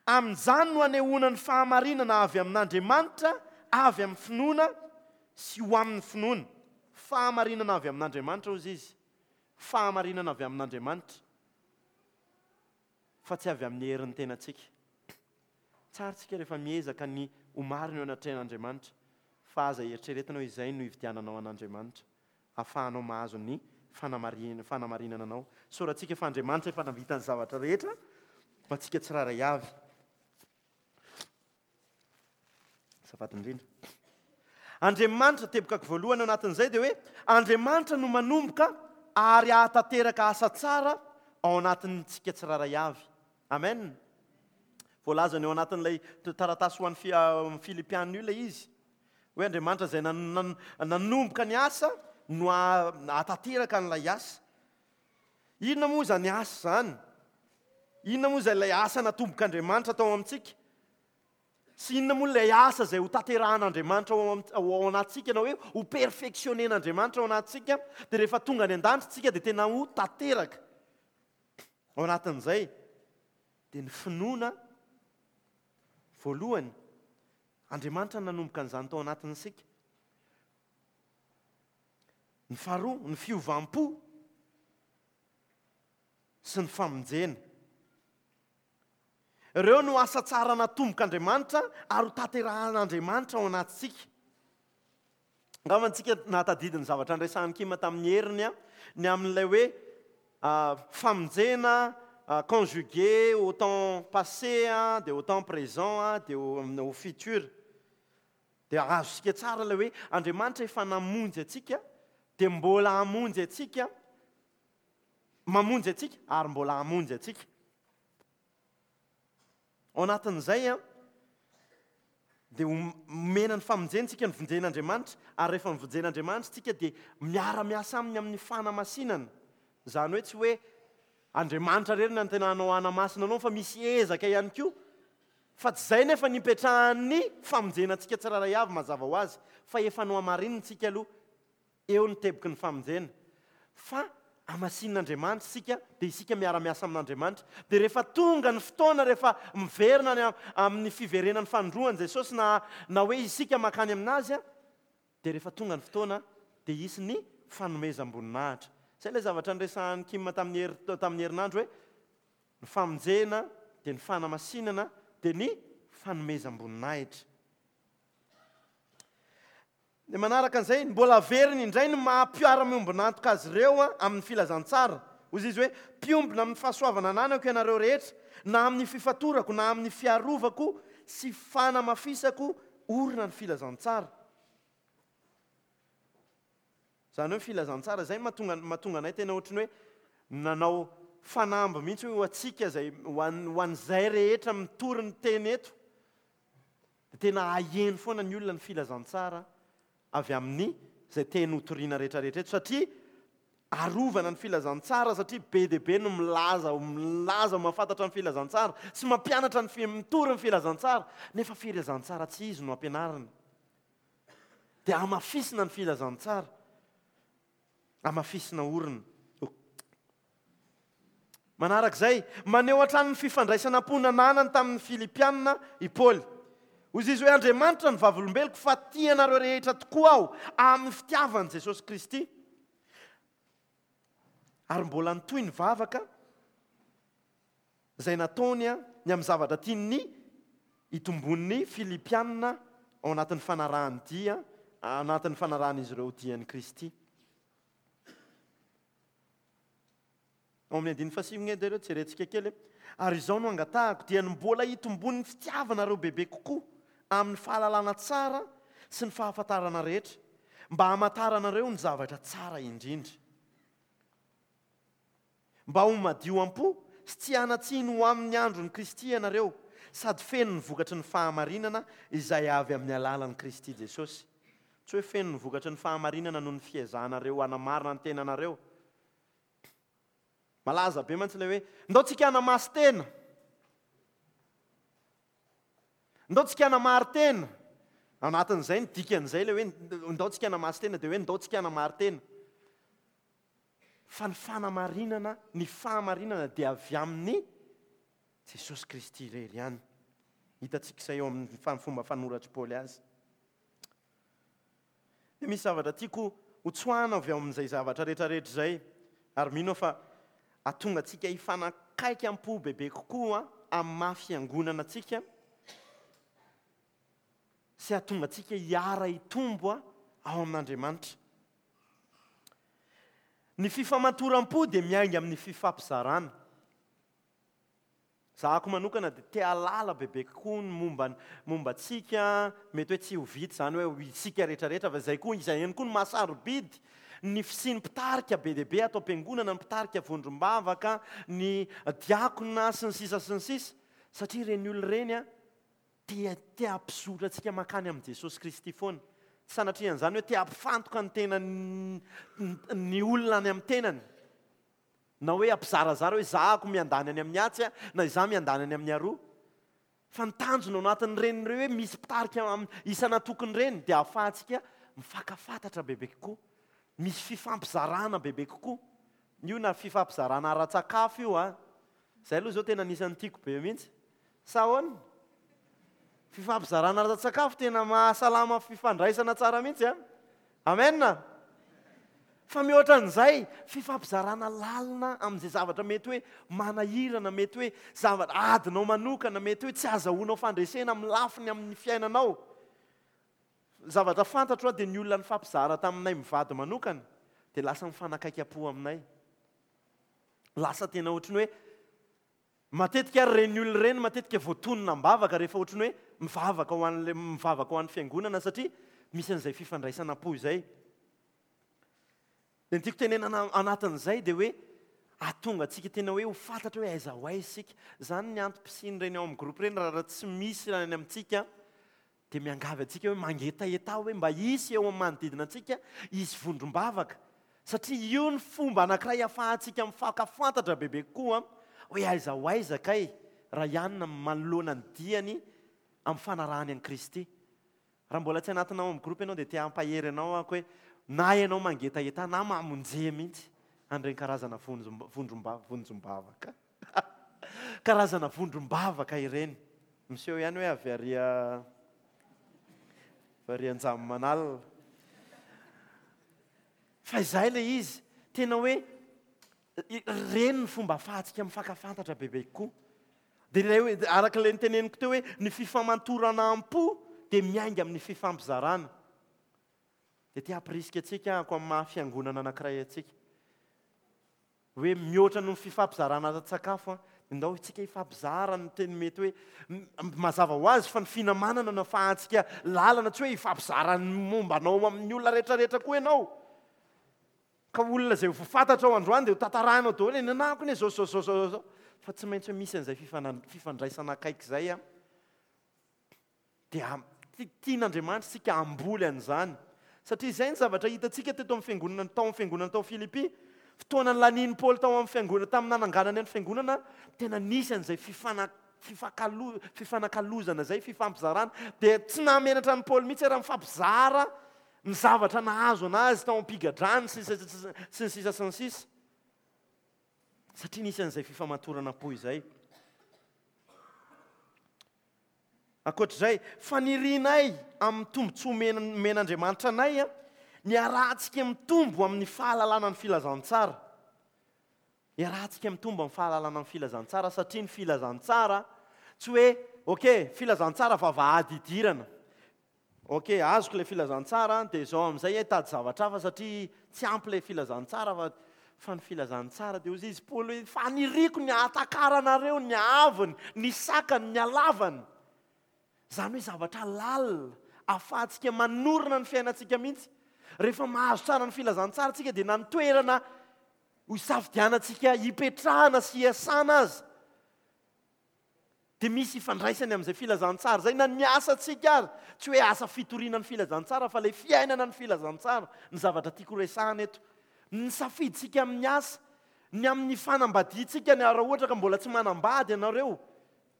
Amin'izany no anehoana ny fahamarinana avy amin'Andriamanitra avy amin'ny finoana sy ho amin'ny finoana. Fahamarinana avy amin'Andriamanitra hozy izy. Fahamarinana avy amin'Andriamanitra fa tsy avy amin'ny herin'ny tenantsika. Tsara tsika rehefa miezaka ny ho marina eo anatrehan'Andriamanitra fa aza eritreretina hoe izay no hividiananao an'Andriamanitra. ahafahanao mahazo ny fanamarinana anao. Isaorantsika fa Andriamanitra efa nahavita ny zavatra rehetra ho antsika tsirairay avy. Azafady indrindra. Andriamanitra, tebokako voalohany ao anatin'izay dia hoe Andriamanitra no manomboka ary hahatanteraka asa tsara ao anatintsika tsirairay avy. Amen. Voalazany ao anatin'ilay taratasy ho an'ny Filipiana io ilay izy. Hoe Andriamanitra izay nanomboka ny asa no hahatanteraka an'ilay asa. Inona moa izany asa izany? Inona moa izay ilay asa natombok'Andriamanitra tao amintsika? Sy inona moa ilay asa izay ho tanterahan'Andriamanitra ao anatintsika na hoe ho perfectionner-n'Andriamanitra ao anatintsika? Dia rehefa tonga any an-danitra isika dia tena ho tanteraka. Ao anatin'izay dia ny finoana voalohany. Andriamanitra no nanomboka an'izany tao anatin'isika. Ny faharoa, ny fiovam-po sy ny famonjena. Ireo no asa tsara natombok'Andriamanitra ary ho tanterahan'Andriamanitra ao anatintsika. Angamba antsika nahatadidy ny zavatra niresahan'i Kim tamin'ny heriny ny amin'ilay hoe famonjena conjugué au temps passé dia au temps présent dia au futur. Dia azontsika tsara ilay hoe Andriamanitra efa namonjy antsika dia mbola hamonjy antsika, mamonjy antsika ary mbola hamonjy antsika. Ao anatin'izay dia omena ny famonjena isika, novonjen'Andriamanitra, ary rehefa novonjen'Andriamanitra isika dia miara-miasa aminy amin'ny fanamasinana. Izany hoe tsy hoe Andriamanitra irery no tena hanao hanamasina anao fa misy ezaka ihany koa. Fa tsy izay nefa ny ipetrahan'ny famonjena antsika tsirairay avy mazava ho azy fa efa nohamarinina isika aloha. Eo ny teboky ny famonjena. Fa hamasinin'Andriamanitra isika, dia isika miara-miasa amin'Andriamanitra. Dia rehefa tonga ny fotoana, rehefa miverina any amin'ny fiverenan'ny fanindroany Jesosy na na hoe isika mankany aminazy, dia rehefa tonga ny fotoana dia hisy ny fanomezam-boninahitra. Izay ilay zavatra niresahan'i Kim tamin'ny hery tamin'ny herinandro hoe ny famonjena dia ny fanamasinana dia ny fanomezam-boninahitra. Dia manaraka an'izay, mbola averiny indray ny maha mpiara-miombon'antoka azy ireo amin'ny filazantsara. Hoy izy hoe, Mpiombona amin'ny fahasoavana ananako ianareo rehetra, na amin'ny fifatorako, na amin'ny fiarovako sy fanamafisako orina ny filazantsara. Izany hoe filazantsara, izay no mahatonga, mahatonga anay tena ohatran'ny hoe nanao fanamby mihitsy hoe ho antsika izay, ho an, ho an'izay rehetra mitory ny teny eto. Dia tena haheno foana ny olona ny filazantsara avy amin'ny izay teny hotorina rehetrarehetra eto satria arovana ny filazantsara satria be dia be no milaza milaza mahafantatra ny filazantsara sy mampianatra ny mitory ny filazantsara nefa filazantsara tsy izy no ampianarina. Dia hamafisina ny filazantsara. Hamafisina orina. Manarak'izay, maneho hatrany ny fifandraisana am-po nananany tamin'ny Filipiana i Paoly. Hoy izy hoe, Andriamanitra no vavolombeloko fa tia anareo rehetra tokoa aho amin'ny fitiavan'i Jesosy Kristy. Ary mbola nitohy ny vavaka izay nataony ny amin'ny zavatra tian'ny hitombon'ny Filipiana ao anatin'ny fanarahany dia, anatin'ny fanarahan'izy ireo dian'i Kristy. Ao amin'ny andininy fahasivy nge dia ireo jerentsika kely e. Ary izao no angatahako, dia ny mbola hitomboan'ny fitiavanareo bebe kokoa amin'ny fahalalana tsara sy ny fahafantarana rehetra, mba hamantaranareo ny zavatra tsara indrindra. Mba ho madio am-po sy tsy hanan-tsiny ho amin'ny andron'i Kristy ianareo, sady feno ny vokatry ny fahamarinana izay avy amin'ny alalan'i Kristy Jesosy. Tsy hoe feno ny vokatry ny fahamarinana noho ny fiezahanareo hanamarina ny tenanareo. Malaza be mantsy ilay hoe, ndao tsika hanamasin-tena. Ndao tsika hanamari-tena. Anatin'izay ny dikan'izay ilay hoe ndao tsika hanamasin-tena dia hoe ndao tsika hanamarin-tena. Fa ny fanamarinana, ny fahamarinana dia avy amin'i Jesosy Kristy irery ihany. Hitantsika izay eo amin'ny fomba fanoratr'i Paoly azy. Dia misy zavatra tiako hotsoahana avy ao amin'izay zavatra rehetrarehetra izay, ary mino aho fa hahatonga antsika hifanakaiky am-po bebe kokoa amin'ny maha fiangonana antsika sy hahatonga antsika hiara-hitombo ao amin'Andriamanitra. Ny fifamatoram-po dia miainga amin'ny fifampizarana. Zahako manokana dia te hahalala bebe kokoa ny momba momba antsika, mety hoe tsy ho vita izany hoe ho isika rehetra rehetra fa izay koa izay ihany koa no maha sarobidy ny fisian'ny mpitarika be dia be ato am-piangonana, ny mpitarika vondrom-bavaka, ny diakona sy ny sisa sy ny sisa satria ireny olona ireny an te te hampizotra antsika mankany amin'i Jesosy Kristy foana. Tsy sanatria an'izany hoe te hampifantoka ny tenany ny olona any amin'ny tenany. Na hoe hampizarazara hoe izaho miandany any amin'ny atsy na izaho miandany any amin'ny aroa. Fa ny tanjona ao anatin'ireny ireo hoe misy mpitarika isan'antokony ireny dia ahafahantsika mifankafantatra bebe kokoa. Misy fifampizarana bebe kokoa. Io na fifampizarana ara-tsakafo io an. Izay aloha izao tena anisan'ny tiako be mihitsy. Sa ahoana? Fifampizarana ara-tsakafo tena mahasalama fifandraisana tsara mihitsy an. Amen! Fa mihoatra an'izay, fifampizarana lalina amin'izay zavatra mety hoe manahirana, mety hoe zavatra adinao manokana, mety hoe tsy azahoanao fandresena amin'ny lafiny amin'ny fiainanao. Zavatra fantatro dia ny olona nifampizara taminay mivady manokana dia lasa mifanakaiky am-po aminay. Lasa tena ohatry ny hoe Matetika ary ireny olona ireny matetika voatonona am-bavaka rehefa ohatry ny hoe mivavaka ho an'ilay mivavaka ho an'ny fiangonana satria misy an'izay fifandraisana am-po izay. Dia ny tiako tenenana anatin'izay dia hoe hahatonga antsika tena hoe ho fantatra hoe aiza ho aiza isika. Izany ny antom-pisian'ireny ao amin'ny groupe ireny raha tsy misy any amintsika Dia miangavy antsika hoe mangetaheta hoe mba hisy eo amin'ny manodidina antsika hisy vondrom-bavaka. Satria io ny fomba anankiray ahafahantsika mifankafantatra bebe kokoa hoe aiza ho aiza kay Rayan manoloana ny diany amin'ny fanarahany an'i Kristy. Raha mbola tsy anatina ao amin'ny groupe ianao dia te hampahery anao aho hoe na ianao mangetaheta na mamonje mihitsy an'ireny karazana vondrom-bavaka. Karazana vondrom-bavaka ireny. Miseho ihany hoe avy ary avy ary Anjamimanalina. Fa izay ilay izy, tena hoe ireny ny fomba ahafahantsika mifankafantatra bebe kokoa. Dia ilay hoe, araka ilay noteneniko teo hoe ny fifamantorana am-po dia miainga amin'ny fifampizarana. Dia te hampirisika antsika aho amin'ny maha fiangonana anankiray antsika. Hoe mihoatra noho ny fifampizarana ara-tsakafo an, dia ndao isika hifampizara ny teny mety hoe mazava ho azy fa ny finamanana no afahantsika lalana, tsy hoe hifampizara ny momba anao amin'ny olona rehetrarehetra koa ianao. Ka olona izay ho fantatrao androany dia ho tantarainao daholo hoe ny anahako anie izao izao izao izao izao. Fa tsy maintsy hoe misy an'izay fifandraisana akaiky izay an. Dia tian'Andriamanitra isika hamboly an'izany. Satria izay ny zavatra hitantsika teto amin'ny fiangonana, tao amin'ny fiangonana tao Filipy. Fotoana nilanian'i Paoly tao amin'ny fiangonana, tamin'ny nananganany ny fiangonana, tena nisy an'izay fifana, fifakalo, fifanakalozana izay, fifampizarana. Dia tsy nahamenatra an'i Paoly mihitsy raha mifampizara ny zavatra nahazo anazy tao am-pigadrany sy ny sisa sy ny sisa. Satria nisy an'izay fifamatorana am-po izay. Ankoatra izay, fanirianay amin'ny tombontsoa omen'Andriamanitra anay ny hiarahantsika mitombo amin'ny fahalalana ny filazantsara. Hiarahantsika mitombo amin'ny fahalalana ny filazantsara satria ny filazantsara tsy hoe ok, filazantsara vavahady idirana. Ok, azoko ilay filazantsara an, dia izao amin'izay hitady zavatra hafa satria tsy ampy ilay filazantsara fa fa ny filazantsara dia hozy izy Paoly hoe faniriako ny hahatakaranareo ny haavony, ny sakany, ny halavany. Izany hoe zavatra lalina ahafahantsika manorina ny fiainantsika mihitsy. Rehefa mahazo tsara ny filazantsara isika dia na ny toerana ho isafidianantsika hipetrahana sy hiasana aza Dia misy ifandraisany amin'izay filazantsara izay na ny asantsika ary. Tsy hoe asa fitoriana ny filazantsara fa ilay fiainana ny filazantsara ny zavatra tiako horesahana eto. Ny safidintsika amin'ny asa, ny amin'ny fanambadiantsika, ny raha ohatra ka mbola tsy manambady ianareo,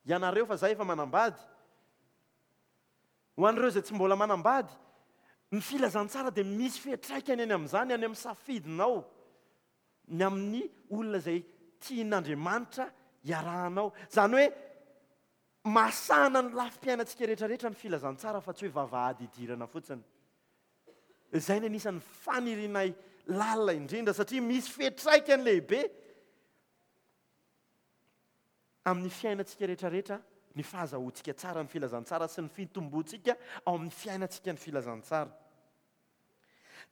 ianareo fa izaho efa manambady. Ho an'ireo izay tsy mbola manambady, ny filazantsara dia misy fiantraikany any amin'izany, any amin'ny safidinao, ny amin'ny olona izay tian'Andriamanitra hiarahanao. Izany hoe mahasahana ny lafim-piainantsika rehetrarehetra ny filazantsara fa tsy hoe vavahady idirana fotsiny. Izay ny anisan'ny fanirianay lalina indrindra satria misy fiantraikany lehibe amin'ny fiainantsika rehetrarehetra ny fahazahoantsika tsara ny filazantsara sy ny fitomboantsika ao amin'ny fiainantsika ny filazantsara.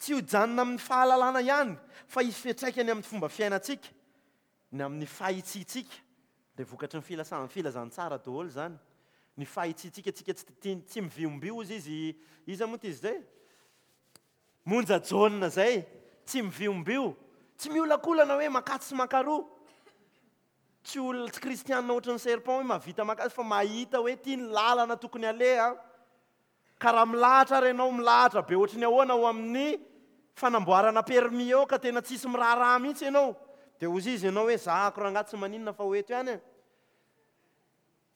Tsy hojanona amin'ny fahalalana ihany fa hisy fiantraikany amin'ny fomba fiainantsika, ny amin'ny fahitsiantsika, dia vokatry ny filasan'ny filazantsara daholo izany. Ny fahitsiantsika, tsika tsy tia tsy miviombio hozy izy, iza moa ity izy izay? Monja Jaona izay, tsy miviombio, tsy miolakolana hoe mankatsy sy mankaroa. Tsy olona, tsy kristianina ohatran'ny serpent hoe mahavita maka azy fa mahita hoe ity ny lalana tokony aleha. Ka raha milahatra ary ianao, milahatra be ohatry ny ahoana ao amin'ny fanamboarana permis eo ka tena tsisy miraharaha mihitsy ianao, dia hozy izy ianao hoe zahako rangahy tsy maninona fa ho eto ihany e.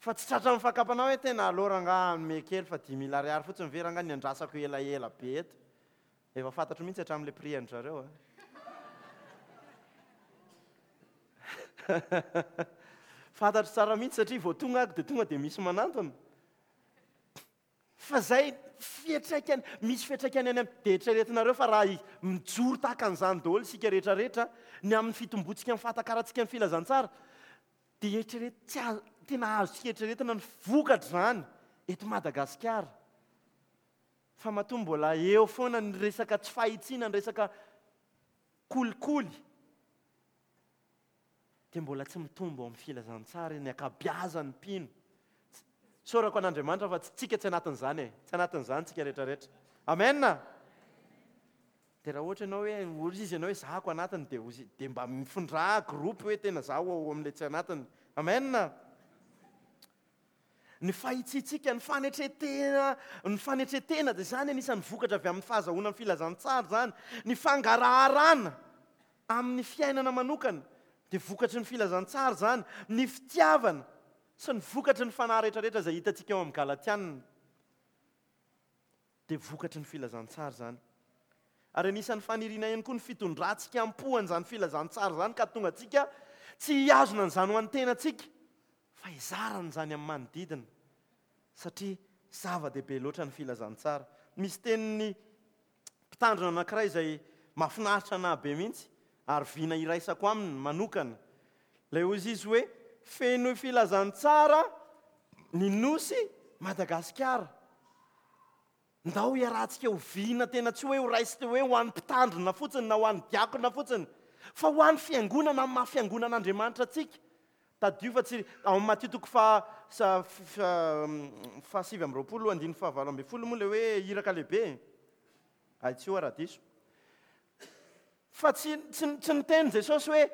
Fa tsy tratran'ny fakam-panahy hoe tena aleo rangahy hanome kely fa 5000 ariary fotsiny ve rangahy ny andrasako elaela be eto. Efa fantatro mihitsy hatramin'ilay prix an-dry zareo a. Fantatro tsara mihitsy satria vao tonga aho dia tonga dia misy manantona. Fa zay fiantraikany, misy fiantraikany any amin'ny, dia eritreretinareo fa raha mijoro tahaka an'izany daholo isika rehetra rehetra, ny amin'ny fitombontsika ny fahatakarantsika ny filazantsara, dia eritrereto, tsy azo, tena azontsika eritreretina ny vokatr'izany eto Madagasikara. Fa matoa mbola eo foana ny resaka tsy fahitsiana, ny resaka kolikoly, dia mbola tsy mitombo ao amin'ny filazantsara ny ankabiazan'ny mpino. Isaorako an'Andriamanitra fa tsy tsika tsy anatin'izany e. Tsy anatin'izany tsika rehetrarehetra. Amen! Dia raha ohatra ianao hoe hozy izy ianao hoe zahako anatiny dia hozy dia mba mifindrà groupe hoe tena zaho ao amin'ilay tsy anatiny. Amen! Ny fahitsiantsika, ny fanetren-tena, ny fanetren-tena dia izany anisan'ny vokatra avy amin'ny fahazahoana ny filazantsara izany. Ny fangaraharana amin'ny fiainana manokana dia vokatry ny filazantsara izany. Ny fitiavana sy ny vokatry ny fanahy rehetrarehetra izay hitantsika ao amin'ny Galatiana dia vokatry ny filazantsara izany. Ary anisan'ny faniriana ihany koa ny fitondrantsika am-po an'izany filazantsara izany ka hahatonga antsika tsy hihazona an'izany ho an'ny tenantsika fa hizara an'izany amin'ny manodidina satria zava-dehibe loatra ny filazantsara. Misy tenin'ny mpitandrina anankiray izay mahafinaritra anà be mihitsy ary vina iraisako aminy manokana. Ilay hozy izy hoe, Fenoy filazantsara ny nosy Madagasikara. Ndao hiarahantsika ho vina tena tsy hoe ho raisina hoe ho an'ny mpitandrina fotsiny na ho an'ny diakona fotsiny, fa ho an'ny fiangonana amin'ny maha fiangonan'Andriamanitra antsika. Tadidio fa tsy ao amin'ny Matio toko faha 29 andininy faha 18 moa ilay hoe iraka lehibe e. Ahitsio aho raha diso. Fa tsy tsy tsy niteny Jesosy hoe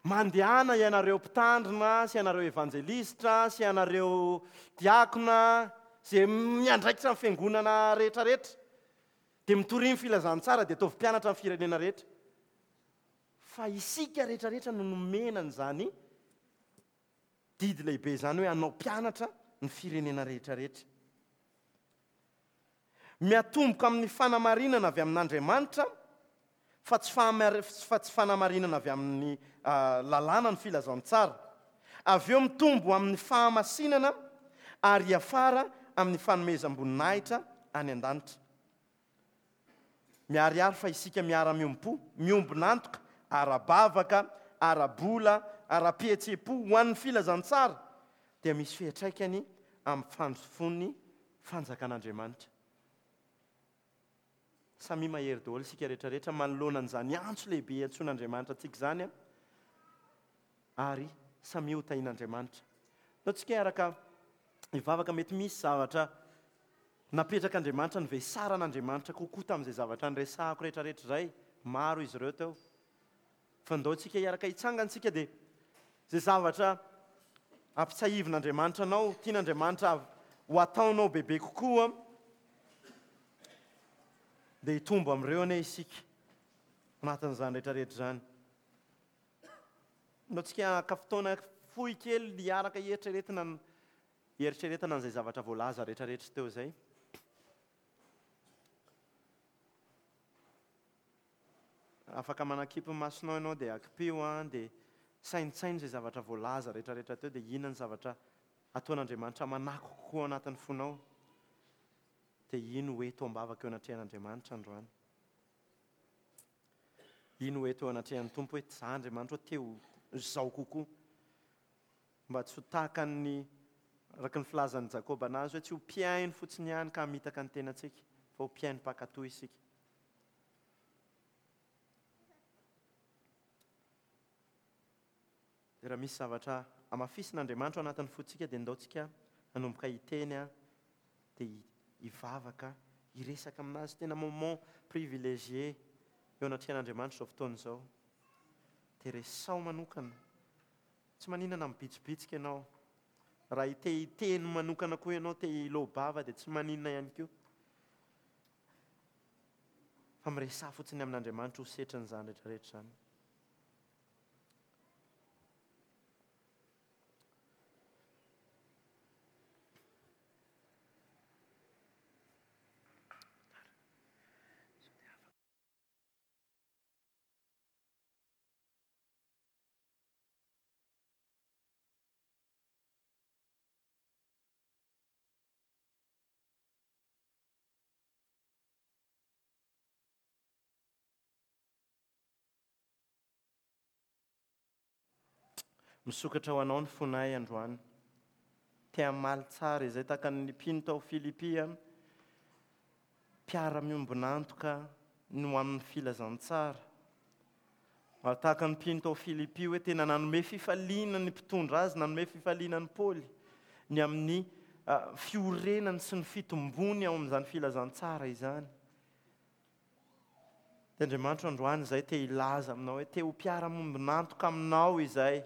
Mandehana ianareo mpitandrina sy ianareo evanjelistra sy ianareo diakona izay miandraikitra ny fiangonana rehetra rehetra dia mitoria ny filazantsara dia ataovy mpianatra ny firenena rehetra. Fa isika rehetra rehetra no nomena an'izany didy lehibe izany hoe hanao mpianatra ny firenena rehetra rehetra. Miatomboka amin'ny fanamarinana avy amin'Andriamanitra fa tsy fa tsy fanamarinana avy amin'ny lalàna ny filazantsara. Avy eo mitombo amin'ny fahamasinana ary hiafara amin'ny fanomezam-boninahitra any an-danitra. Miharihary fa isika miara-miombom-po, miombon'antoka ara-bavaka, ara-bola, ara-pihetseham-po ho an'ny filazantsara dia misy fiantraikany amin'ny fandrosoan'ny fanjakan'Andriamanitra. Samia mahery daholo isika rehetra rehetra manoloana an'izany antso lehibe iantsoan'Andriamanitra antsika izany ary samia ho tahian'Andriamanitra. Ndao tsika hiaraka hivavaka mety misy zavatra napetrak'Andriamanitra nivesaran'Andriamanitra kokoa tamin'izay zavatra niresahako rehetra rehetra izay. Maro izy ireo teo. Fa ndao tsika hiaraka hitsangana tsika dia izay zavatra ampitsahivin'Andriamanitra anao, tian'Andriamanitra ho ataonao bebe kokoa dia hitombo amin'ireo anie isika anatin'izany rehetra rehetra izany. Ndao tsika haka fotoana fohy kely hiaraka hieritreretina ny. hieritreretana an'izay zavatra voalaza rehetrarehetra teo izay. Afaka manakipy ny masonao ianao dia akipio an, dia saintsaino izay zavatra voalaza rehetrarehetra teo dia inona ny zavatra ataon'Andriamanitra manako kokoa ao anatin'ny fonao. Dia iny ho eto am-bavaka eo anatrehan'Andriamanitra androany. Iny ho eto eo anatrehan'ny Tompo hoe za Andriamanitra te ho izao kokoa. Mba tsy ho tahaka ny araka ny filazan'i Jakoba anazy hoe tsy ho mpihaino fotsiny ihany ka hamitaka ny tenantsika fa ho mpihaino mpankatò isika. Dia raha misy zavatra hamafisin'Andriamanitra ao anatin'ny fontsika dia ndao tsika hanomboka hiteny dia hivavaka, hiresaka aminazy. Tena moment privilégié eo anatrehan'Andriamanitra izao fotoana izao. Dia resaho manokana. Tsy maninona na mibitsibitsika ianao. Raha te hiteny manokana koa ianao, te hiloa-bava dia tsy maninona ihany koa. Fa miresaha fotsiny amin'Andriamanitra ho setrin'izany rehetrarehetra izany. Misokatra ho anao ny fonay androany. Te hamaly tsara izay tahaka ny mpino tao Filipia, mpiara-miombon'antoka no amin'ny filazantsara. Ary tahaka ny mpino tao Filipia hoe tena nanome fifaliana ny mpitondra azy, nanome fifaliana an'i Paoly ny amin'ny fiorenany sy ny fitombony ao amin'izany filazantsara izany. Dia Andriamanitro androany izay te hilaza aminao hoe te ho mpiara-mombon'antoka aminao izay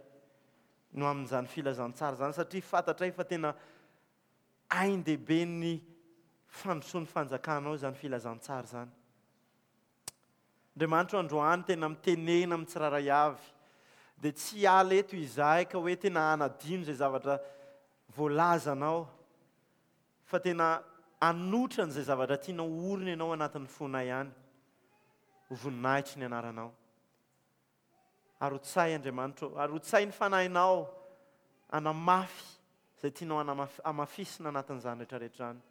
no amin'izany filazantsara izany satria fantatray fa tena ain-dehiben'ny fandrosoan'ny fanjakanao izany filazantsara izany. Andriamanitro androany tena mitenena amin'ny tsirairay avy. Dia tsy hiala eto izahay ka hoe tena hanadino izay zavatra voalazanao fa tena hanotra an'izay zavatra tianao horina ianao anatin'ny fonay any. Ho voninahitry ny anaranao. Arotsahy Andriamanitra ô, arotsahy ny fanahinao hanamafy izay tianao hamafisina anatin'izany rehetrarehetra izany.